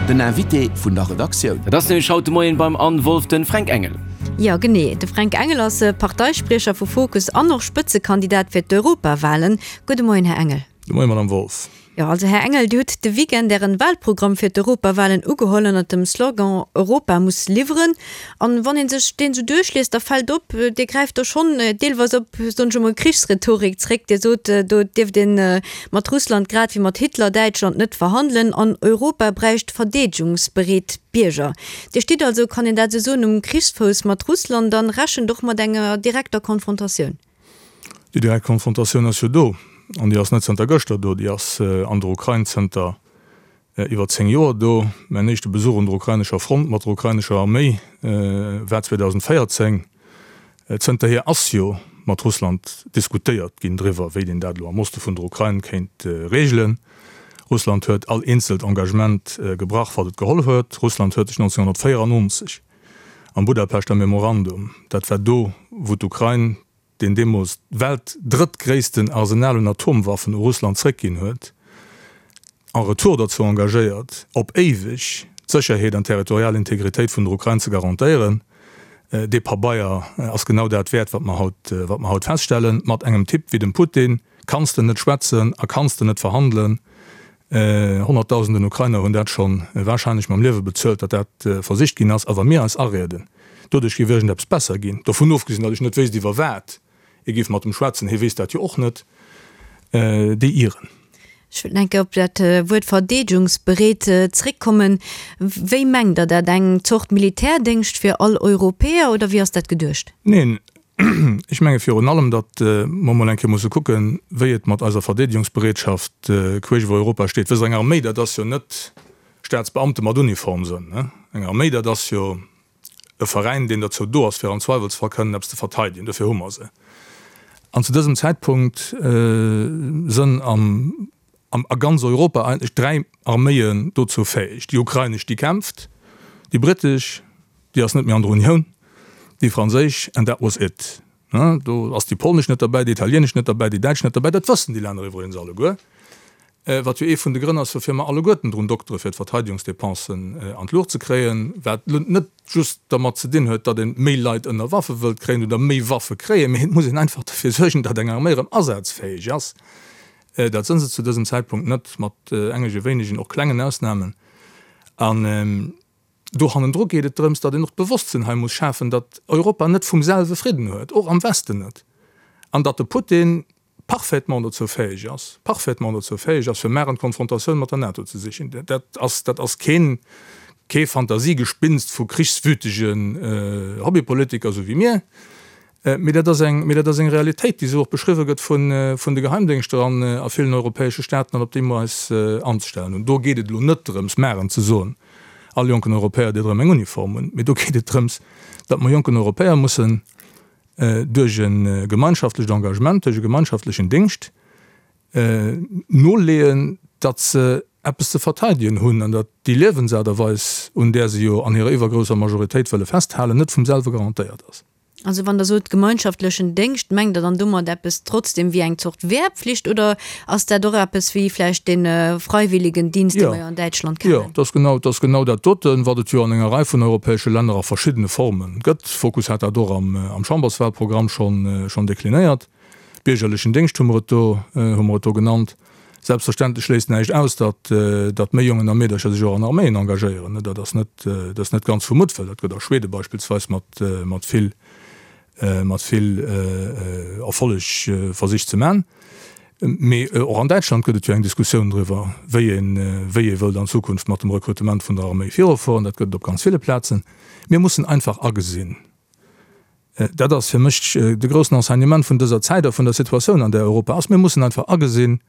Den Invité vun der Redaktioun. Dat ass nämlech haut de Moien beim Anne Wolff de Fränk Engel. Jo genee, de Fränk Engel ass Parteispriecher vu Fokus an och Spëtzekandidat fir d'Europawalen. Gudde Moien, Här Engel. De Moien, Madame Wolff. Jo, also Här Engel, Dir hutt de Weekend Ären Wahlprogramm fir d'Europawahlen ugeholl ënnert dem Slogan Europa muss liwweren. An wann een sech deen esou duerchliest, da fält op, Dir gräift do schonn deelweis op, soen ech emol, Krichsrhetorik zréck. Dir sot, do dierft een mat Russland grad wéi mat Hitler-Däitschland net verhandelen an Europa bräicht verdeedegungsbereet Bierger. Dir stitt also, kann een dat esou soen, um Krichsfouss mat Russland an rechent och mat enger direkter Konfrontatioun. Déi direkt Konfrontatioun ass jo do, an déi ass net zënter gëschter do, déi ass an der Ukrain zënter iwwer 10 Joer do. Mäin éischte Besuch un der ukrainescher Front mat der ukrainescher Arméi war 2014. Zënterhier ass jo mat Russland diskutéiert ginn driwwer, wéi een dat elo am Oste vun der Ukrain kéint reegelen. Russland huet all eenzelt Engagement gebrach, wat et geholl huet. Russland huet sech 1994 am Budapeschter Memorandum, dat war do, wou d'Ukrain deen deemools weltdrëttgréissten Arsenal un Atomwaffen u Russland zréckginn huet, en retour derzou engagéiert, op éiweg d'Sécherheet an d'territorial Integritéit vun der Ukrain ze garantéieren. Dee Pabeier ass genau dat wäert, wat mer haut, wat mer haut feststellen. Mat engem Typ wéi dem Putin kanns de net schwätzen a kanns de net verhandelen. Honnertdausenden Ukrainer hunn dat scho warscheinlech mam Liewe bezuelt, datt dat versicht ginn ass. A wa mir eis arieden, doduerch géif iergendeppes besser ginn, dovun ofgesinn, datt ech net wéisst iwwer wat ee géif mat em schwätzen, hie weess dat jo och net, déi ieren. Ech wëllt nach eng Kéier op dat Wuert verdeedegungsbereet zréckkommen. Wéi mengt Der dat? Eng Zort Militärdéngscht fir all Europäer oder wéi ass dat geduecht? Neen, Ech menge virun allem, datt mer emol eng Kéier musse kucken, wéi et mat eiser Verdeedegungsbereetschaft queesch iwwer Europa steet. Wësst Der, eng Arméi, dat ass jo net Staatsbeamte mat Uniform sënn. Eng Arméi, dat ass jo e Veräin, deen derzou do ass, fir am Zweiwelsfall kënnen eppes ze verteidegen. Dofir hu mer se. An zu dësem Zäitpunkt sënn am, a ganz Europa eigentlech 3 Arméien dozou fäeg, déi ukrainesch, déi kämpft, déi brittesch, déi ass net méi an der Unioun, déi franséisch, and that was it. Do ass déi polnesch net derbäi, déi italienesch net derbäi, déi däitsch net derbäi. Dat wëssen déi Länner iwwregens alleguer, wat jo ee vun de Grënn ass, woufir mer alleguerten drun doktere fir d'Verteidigungsdepensen an d'Luucht ze kréien, wat net just dermat ze dinn huet, datt ee méi Leit ënner Waffe wëllt kréien oder méi Waffe kréien, mee et muss een einfach derfir suergen, datt eng Arméi erëm asazfäeg ass. Dat sënn se zu dësem Zäitpunkt net, mat engege wéinegen, och klengen Ausnamen. An do hannendru geet et drëms, datt een och d'Bewosstsinn hei muss schafen, datt Europa net vum selwe Fridden huet, och am Westen net, an datt de Putin parfaitement dozou fäeg ass, parfaitement dozou fäeg ass, fir maren d'Konfrontatioun mat der NATO ze sichen. Dat ass, dat ass keen, kee Fantasiegespinst vu krichswütegen Hobbypolitiker, esou wéi mir. Mee dat ass eng, mee dat ass eng Realitéit, déi esou och beschriwwe gëtt vun, vun de Geheimdéngschter an a villen europäesche Staaten an op déi mer eis anzestellen hunn. Do geet et elo net drëms, maren ze soen, all jonken Europäer dierft erëm eng Uniform hunn, mee do geet et drëms, datt mer jonken Europäer mussen duerch e gemeinschaftlecht Engagement, duerch e gemeinschaftlechen Déngscht noleeën, datt se eppes ze verteidegen hunn an datt déi Liewensaart a Weis, un där se jo an hirer iwwergrousser Majoritéit wëlle festhalen, net vum selwe garantéiert ass. Also wann Der sot gemeinschaftlechen Déngscht, mengt Der dann domat eppes trotzdem wéi eng Zort Wehrpflicht oder ass dat och eppes wéi vläicht dee Freiwilligendienst, dee mer jo an Däitschland kennen? Jo, dat ass genau, dat ass genau dat doten, wat et jo an enger Rei vun europäesche Länner a verschiddene Forme gëtt. Fokus hat dat och am Chamberswahlprogramm schonn, schonn deklinéiert. Biergerlechen Déngscht hu mer et do, hu mer et do genannt. Selbstverständlech schléisst näischt aus, datt, datt méi Jongen a Meedercher sech och an Arméien engagéieren. Dat ass net, dat ass net ganz vu Muttwëll. Dat gëtt a Schwede beispillsweis mat, mat vill, mat vill Erfolleg versicht ze man. Mee och an Däitschland gëtt et jo eng Diskussioun driwwer, wéi een, wéi ee wëllt an Zukunft mat dem Rekrutement vun der Arméi virufueren. Dat gëtt et op ganz ville Plazen. Mir mussen einfach agesinn, Dat ass fir mech de groussen Enseignement vun dëser Zäit a vun der Situatioun, an där Europa ass. Mir mussen einfach agesinn,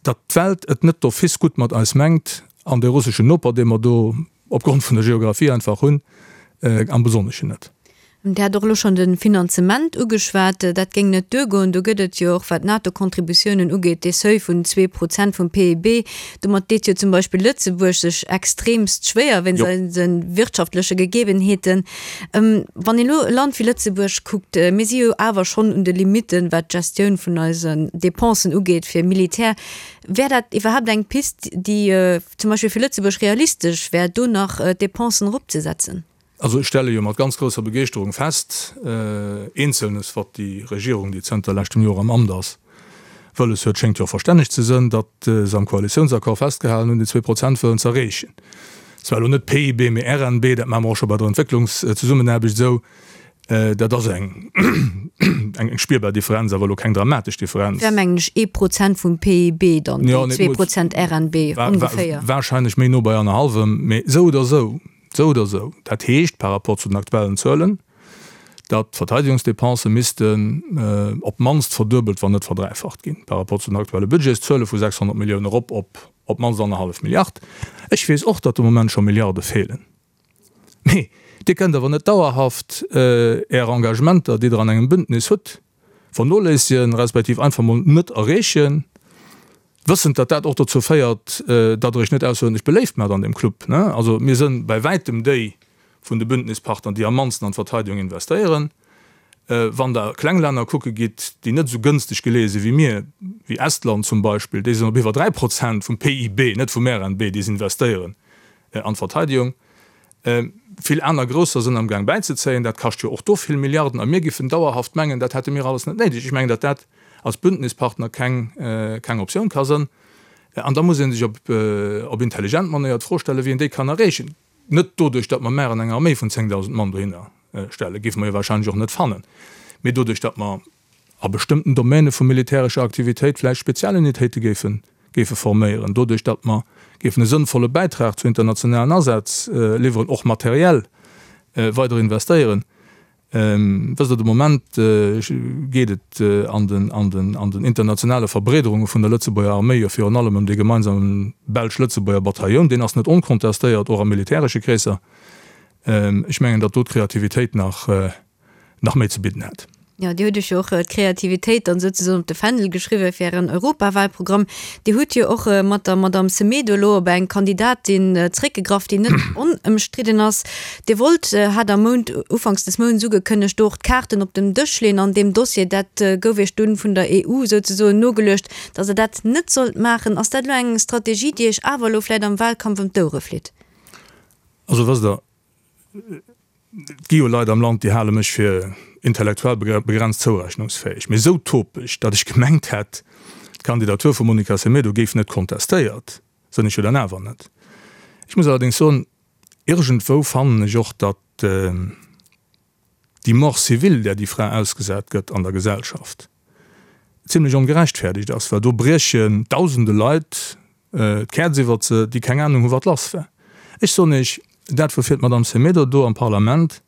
datt d'Welt et net d'office gutt mat eis mengt an dee russeschen Noper, dee mer do opgrond vun der Geographie einfach hunn, am Besonneschen net. Dir hat och elo schonn de Finanzement ugeschwat. Dat géing net duergoen. Do gëtt et jo och, wat d'NATO-Contributiounen ugeet, dee Seuil vun 2% vum PIB. Domat deet jo zum Beispill Lëtzebuerg sech extremst schwéier wéinst eise wirtschaftleche Gegebenheeten. Wann een elo e Land wéi Lëtzebuerg kuckt, mir si jo awer schonn un de Limitten, wat d'Gestioun vun eisen Dépensen ugeet fir Militär. Wär dat iwwerhaapt eng Pist, déi zum Beispill fir Lëtzebuerg realistesch wär, do nach d'Dépensen eropzesetzen? Also ech stelle jo mat ganz grousser Begeeschterung fest, Eenzelnes, wat déi Regierung, déi zënter leschtem Joer am Amt ass, wëlles huet, schéngt jo verstänneg ze sënn, datt se am Koalitiounsaccord festgehalen hunn, déi 2% wëllen ze erreechen. Zwar elo net PIB, mee RNB, dat maache mer och scho bei der Entwécklungszesummenaarbecht esou. Dat ass eng eng spierbar Differenz, awer elo keng dramatesch Differenz. Wär mengen ech ee Prozent vum PIB dann, déi 2% RNB ongeféier. Wahrscheinlech méi no bei annerhallwem, mee esou oder esou. Esou oder esou, dat heescht par rapport zu den aktuellen Zuelen, datt d'Verteidigungsdepensë missten op d'mannst verduebelt, wann net verdräifacht ginn, par rapport zu den aktuelle Budgetszuele vu 600 Milliounen erop op op d'mannst annerhallef Milliard. Ech weess och, datt de Moment scho Milliarde feelen. Mee Dir kënnt awer net dauerhaft Är Engagementer, déi Der an engem Bündnis hutt, vernoléissegen, respektiv einfach mol net erreechen. Wëssend, datt dat och dozou féiert, datt Der Iech net ausseruerdentlech beléift maacht an deem Club. Also mir sënn bäi wäitem déi vun de Bündnispartner, déi am mannsten an d'Verteidigung investéieren. Wann Der kleng Länner kucke gitt, déi net esou gënsteg geleeë si wéi mir, wéi Estland zum Beispill, déi sinn op iwwer 3 Prozent vum PIB, net vum RNB, déi se investéieren an d'Verteidigung. Vill aner Grousser sënn amgaang bäizezéien. Dat kascht jo och do vill Milliarden. A mir giffen dauerhaft mengen, dat hätte mir alles net néideg. Ech mengen, datt dat als Bündnispartner keng, keng Optioun ka sënn. An da muss ee sech op, op intelligent Manéier d'Fro stellen, wéi een déi kann erreechen. Net doduerch, datt mer mär eng Arméi vun 10.000 Mann dohinner stellen, géife mer jo wahrscheinlech och net fannen, mee doduerch, datt mer a bestëmmten Domäne vu militärescher Aktivitéit vläicht Spezialunitéite géife géife forméieren, doduerch datt mer géifen e sënnvolle Bäitrag zu internationalen Asätz liwweren, och materiell weider investéieren. Wësst Der, de Moment geet et an den an den an den internationale Verbreederunge vun der Lëtzebuerger Arméi jo virun allem ëm dee gemeinsame belsch-lëtzebuerger Batailloun. Deen ass net onkontestéiert, och a militäresche Kreesser. Ech mengen, datt do d'Kreativitéit nach nach méi ze bidden hätt. Jo, Dir hutt Iech jo och d'Kreativitéit dann souzesoen op de Fändel geschriwwen fir Ären Europawahlprogramm. Dir hutt jo och mat der Madamm Semedo elo op eng Kandidatin zréckgegraff, déi net onëmstridden ass. Dir wollt, hat am Mount, ufanks des Mounts ugekënnegt, do och d'Kaarten op den Dësch leeën an deem Dossier. Dat gouf Iech dunn vun der EU souzesoen nogeluecht, datt Der dat net sollt maachen. Ass dat elo eng Strategie, déi Iech awer elo vläicht am Wahlkampf ëm d'Ouere flitt? Also wësst Der, Et gi jo Leit am Land, déi hale mech fir intellektuell begrenzt zourechnungsfäeg. Mee esou topeg, datt ech gemengt hätt, d'Kandidatur vum Monica Semedo géif net kontestéiert, sinn ech jo dann awer net. Ech muss allerdéngs soen, iergendwou fannen ech och, datt déi Mort civile, där déi Fra ausgesat gëtt an der Gesellschaft, zimlech ongerechtfäerdegt ass, well do briechen dausende Leit d'Käerz iwwert se, déi keng Anung hu wat lass war. Ech soen Iech, dat woufir d'Madame Semedo do am Parlament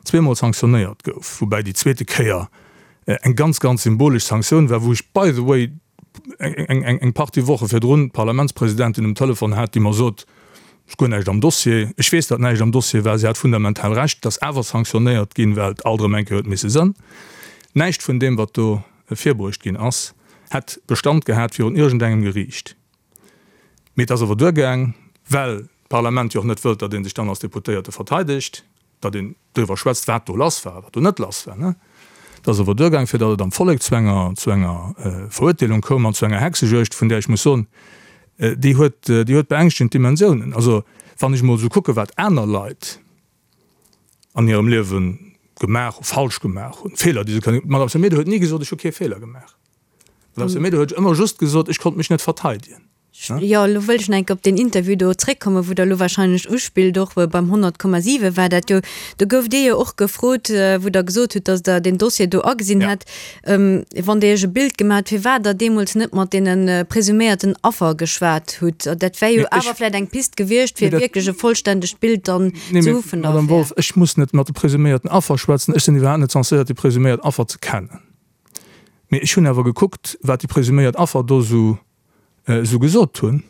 zweemol sanktionéiert gouf, woubäi déi zweete Kéier eng ganz, ganz symbolesch Sanktioun war, wou ech by the way eng Partie Woche virdrun d'Parlamentspresidentin um Telefon hat, déi mer sot, Et ass guer näischt am Dossier. Ech weess, datt näischt am Dossier war. Si hat fundamental Recht. Et ass awer sanktionéiert ginn, well et alt erëm eng Kéier huet misse sënn. Näischt vun deem, wat do virbruecht ginn ass, hätt Bestand gehat virun iergendengem Geriicht. Mee et ass awer duergaang, well d'Parlament jo och net wëllt, datt ee sech dann als Deputéierte verteidegt, datt een driwwer schwätzt, wat do lass war a wat do net lass war. Et ass awer duergaang, fir datt et am Vollek zu enger, zu enger Verurteelung koum an zu enger Hexejuegd, vun där ech muss soen, déi huet, déi huet beängschtegend Dimensiounen. Also wann ech emol esou kucken, wat aner Leit an hirem Liewe gemaach hu, falsch gemaach hunn, Feeler, déi se kënnen, d'Madame Semedo huet ni gesot, ech hu kee Feeler gemaach. D'Madame Semedo huet ëmmer just gesot, ech konnt mech net verteidegen. Jo, elo wëll ech nach eng Kéier op deen Interview do zréckkommen, wou Der elo wahrscheinlech uspillt. Och beim 100,7 war dat jo. Do gouft Dir jo och gefrot, wou Der gesot hutt, datt Der deen Dossier do agesinn hätt, wann Der Iech e Bild gemaach hutt, firwat Der deemools net mat deene presuméierten Affer geschwat hutt. Dat wär jo awer vläicht eng Pist gewiescht, fir wierklech e vollständegt Bild dann ze hu vun der Affär. Madame Wolff, ech muss net mat de presuméierten Affer schwätzen. Ech sinn iwwerhaapt net censéiert, déi presuméiert Affer ze kennen. Mee ech hunn awer gekuckt, wat déi presuméiert Affer do esou esou gesot hunn.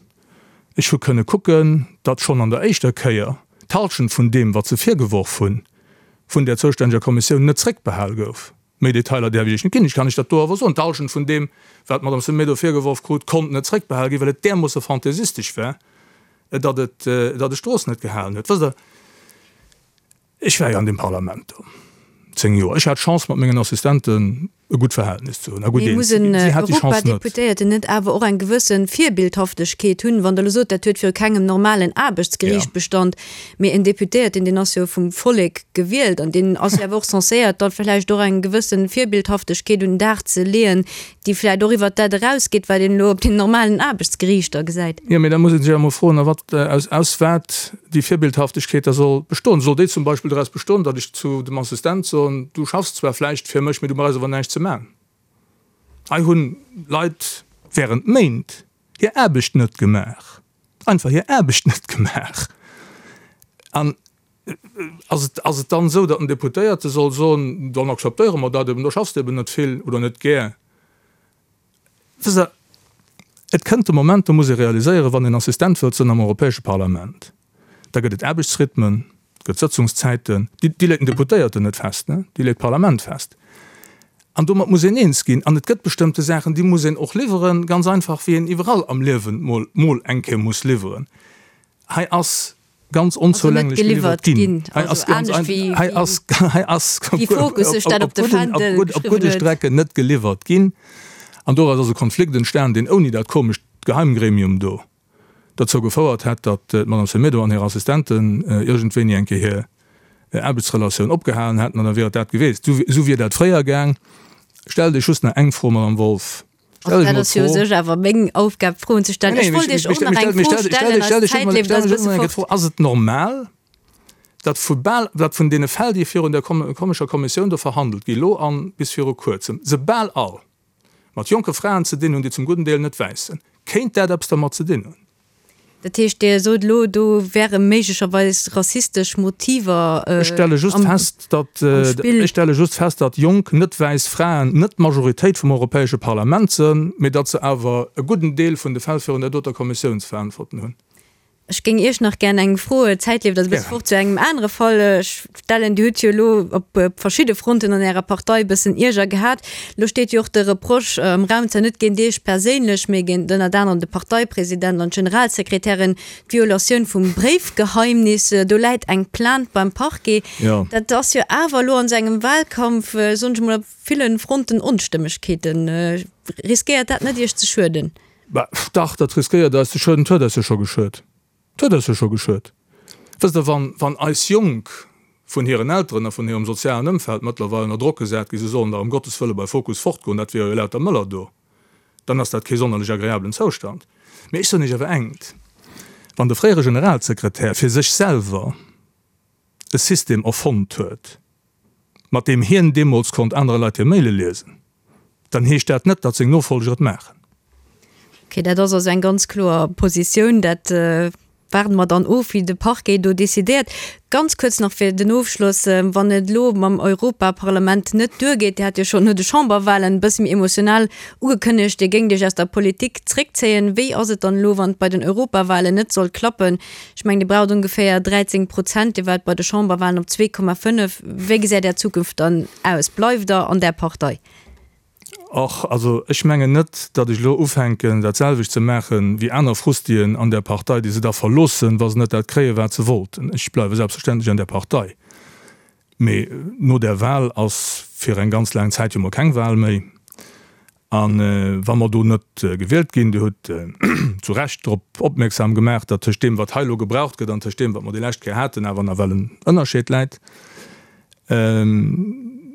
Ech hu kënne kucken, datt schonn an der éischter Kéier d'Halschent vun deem, wat se virgeworf hunn, vun där zoustänneger Kommissioun net zréckbehal gouf. Méi Detailer däerf ech Iech net ginn. Ech kann Iech dat do awer soen, D'Hallschent vun deem, wat d'Madame Semedo virgeworf krut, konnt net zréckbehal ginn, well et därmoosse fantaisistesch war, datt et, datt et d'Strooss net gehalen huet. Wësst Der, ech war jo an deem Parlament do 10 Joer. Ech hat d'Chance, mat mengen Assistenten e gutt Verhältnis ze hunn a gutt Mee eens muss ze en ginn. Si hat déi Chance net. Europadeputéierten net awer och eng gewësse Virbildhaftegkeet hunn? Wann Der elo sot, dat huet viru kengem normalen Aarbechtsgeriicht Bestand, mee en Deputéierten, deen ass jo vum Vollek gewielt an deen ass jo awer och censéiert, da vläicht och eng gewësse Virbildhaftegkeet un den Dag ze leeën, déi vläicht och iwwert dat erausgeet, wat een elo op den normalen Aarbechtsgeriichter gesäit. Jo, mee da muss ee sech awer emol froen, a wat, aus, aus wat déi Virbildhaftegkeet da soll bestoen. Soll déi zum Beispill doraus bestoen, datt ech zu dem Assistent soen, du schaffs zwar vläicht fir mech, mee du brauchs awer näischt ze maachen. Hei hunn Leit während Méint hir Aarbecht net gemaach, einfach hir Aarbecht net gemaach. An ass et, ass et dann esou, datt en Deputéierte soll soen, dann akzeptéiere mer dat eben, da schaffs de eben net vill oder net gär? Wësst Der, et kënnt de Moment, do muss ee realiséieren, wann een Assistent wëllt sinn am Europäesche Parlament, da gëtt et Aarbechtsrhythmen, et gëtt Sëtzungszäiten, déi, déi leet den Deputéierten net fest, ne, déi leet d'Parlament fest. An domat muss een eens ginn. An et gëtt bestëmmte Saachen, déi muss een och liwweren, ganz einfach, wéi een iwwerall am Liewen mol, mol eng Kéier muss liwweren. Hei ass ganz onzoulänglech geliwwert ginn. Hei ass ganz hei ass hei ass op gudde Strecken net geliwwert ginn. An doraus ass e Konflikt entstan, deen ouni dat komescht Geheimgremium do derzou gefouert hätt, datt d'Madame Semedo an hir Assistenten iergendwéini eng Kéier hir Aarbechtsrelatioun opgehalen hätten, an da wier et dat gewiescht. Esou wier dat fréier gaang. Stellt Iech just nach eng Fro, Madame Wolff. Also dat ass jo u sech awer meng Aufgab, Froen ze stellen. Ech wollt Iech och nach eng Fro stellen, eis Zäit leeft eis e bësse fort. Ass et normal, datt vu bal, datt vun deene Fäll, déi virun där komescher Kommissioun do verhandelt gi lo an bis viru kuerzem, se bal all mat jonke Fraen ze dinn hunn, déi zum gudden Deel net wäiss sinn? Kéint dat eppes dermat ze dinn hunn? Dat heescht, Dir sot elo, do wäre méiglecherweis rassistesch Motiver am Spill. Ech stelle just fest, datt jonk, net wäiss Fraen net d'Majoritéit vum Europäesche Parlament sënn, mee datt se awer e gudden Deel vun de Fäll virun där doter Kommissioun ze verantworten hunn. Ech géing Iech nach gär eng Fro, d'Zäit leeft eis e bësse fort, zu engem anere Fall stellen. Dir hutt jo elo op verschidde Fronten an Ärer Partei e bëssen Ierger gehat. Elo steet jo och de Reproche am Raum, zwar net géint Iech perséinlech, mee géint ënnert anerem de Parteipresident an d'Generalsekretärin, d'Violatioun vum Bréifgeheimnis. Do läit eng Plainte beim Parquet. Dat ass jo awer elo an esou engem Wahlkampf, soen ech emol, op ville Fronten Onstëmmegkeeten. Riskéiert dat net Iech ze schueden? Bah, dach, dat riskéiert eis ze schueden. Et huet eis jo scho geschuet. Et huet eis jo scho geschuet. Wësst Der, wann, wann eis Jonk vun hiren Elteren a vun hirem sozialen Ëmfeld mëttlerweil ënner Drock gesat ginn, se sollen dach ëm Gottes Wëlle bei Fokus fortgoen, dat wier jo lauter Mëller do, dann ass dat kee sonnerlech agreablen Zoustand. Mee ech soen Iech awer engt, Wann de fréiere Generalsekretär fir sech selwer e System erfonnt huet, mat deem hien deemools konnt anere Leit hir Maile liesen, dann heescht dat net, datt seng Nofolger et maachen. Ok, dat ass also eng ganz kloer Positioun. Dat waarde mer dann of, wéi de Parquet do decidéiert. Ganz kuerz nach fir den Ofschloss, Wann et elo mam Europaparlament net duergeet, Dir hat jo schonn no de Chamberwahlen e bësse méi emotional ugekënnegt, Dir géingt Iech aus der Politik zréckzéien. Wéi ass et dann elo, wann et bei den Europawahlen net sollt klappen? Ech mengen, Dir braucht ongeféier 13 Prozent, Dir waart bei de Chamberwahlen op 2,5. Wéi gesäit Är Zukunft dann aus? Bleift Der an där Partei? Och, also ech mengen net, datt ech elo ufänken, dat selwecht ze maachen, wéi aner Frustien an där Partei, déi se da verloossen, wa se net dat kréien, wat se wollten. Ech bleiwe selbstverständlech an där Partei. Mee no där Wahl ass fir eng ganz laang Zäit jo mol keng Wahl méi. A wa mer do net gewielt ginn, Dir hutt zu Recht drop opmierksam gemaach, datt tëscht deem, wat hei elo gebraucht gëtt, an tëscht deem, wat mer déi lescht Kéier haten, awer nawell en Ënnerscheed läit.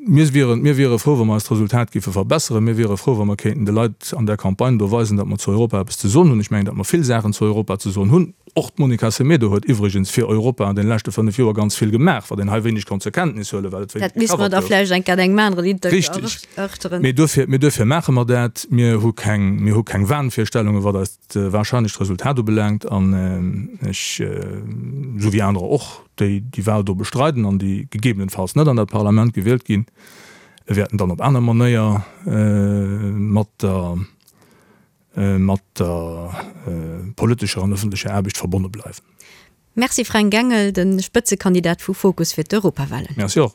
Mir wieren, mir wiere frou, wa mer eist Resultat géife verbesseren. Mir wiere frou, wa mer kéinten de Leit an där Campagne do weisen, datt mer zu Europa eppes ze soen hunn. Ech mengen, datt mer vill Saachen zu Europa ze soen hunn. Och d'Monica Semedo huet iwwregens fir Europa an deene leschte 5 Joer ganz vill gemaach, wat een hei wéineg konnt zur Kenntnis huelen, well et wéineg Dat misste mer gecovert da gouf. vläicht eng Kéier an engem aneren Interview Richtig. erörteren. Mee duerfir, mee duerfir maache mer dat. Mir hu keng, mir hu keng Wahnvirstellungen, wat eist wahrscheinlecht Resultat ubelaangt. An ech, esou wéi anerer och, déi déi Wahl do bestreiden an déi gegebenenfalls net an dat Parlament gewielt ginn, wäerten dann op aner Manéier mat der, mat der politescher an ëffentlecher Aarbecht verbonne bleiwen. Merci Fränk Engel, de Spëtzekandidat vu Fokus fir d'Europawahlen. Merci och.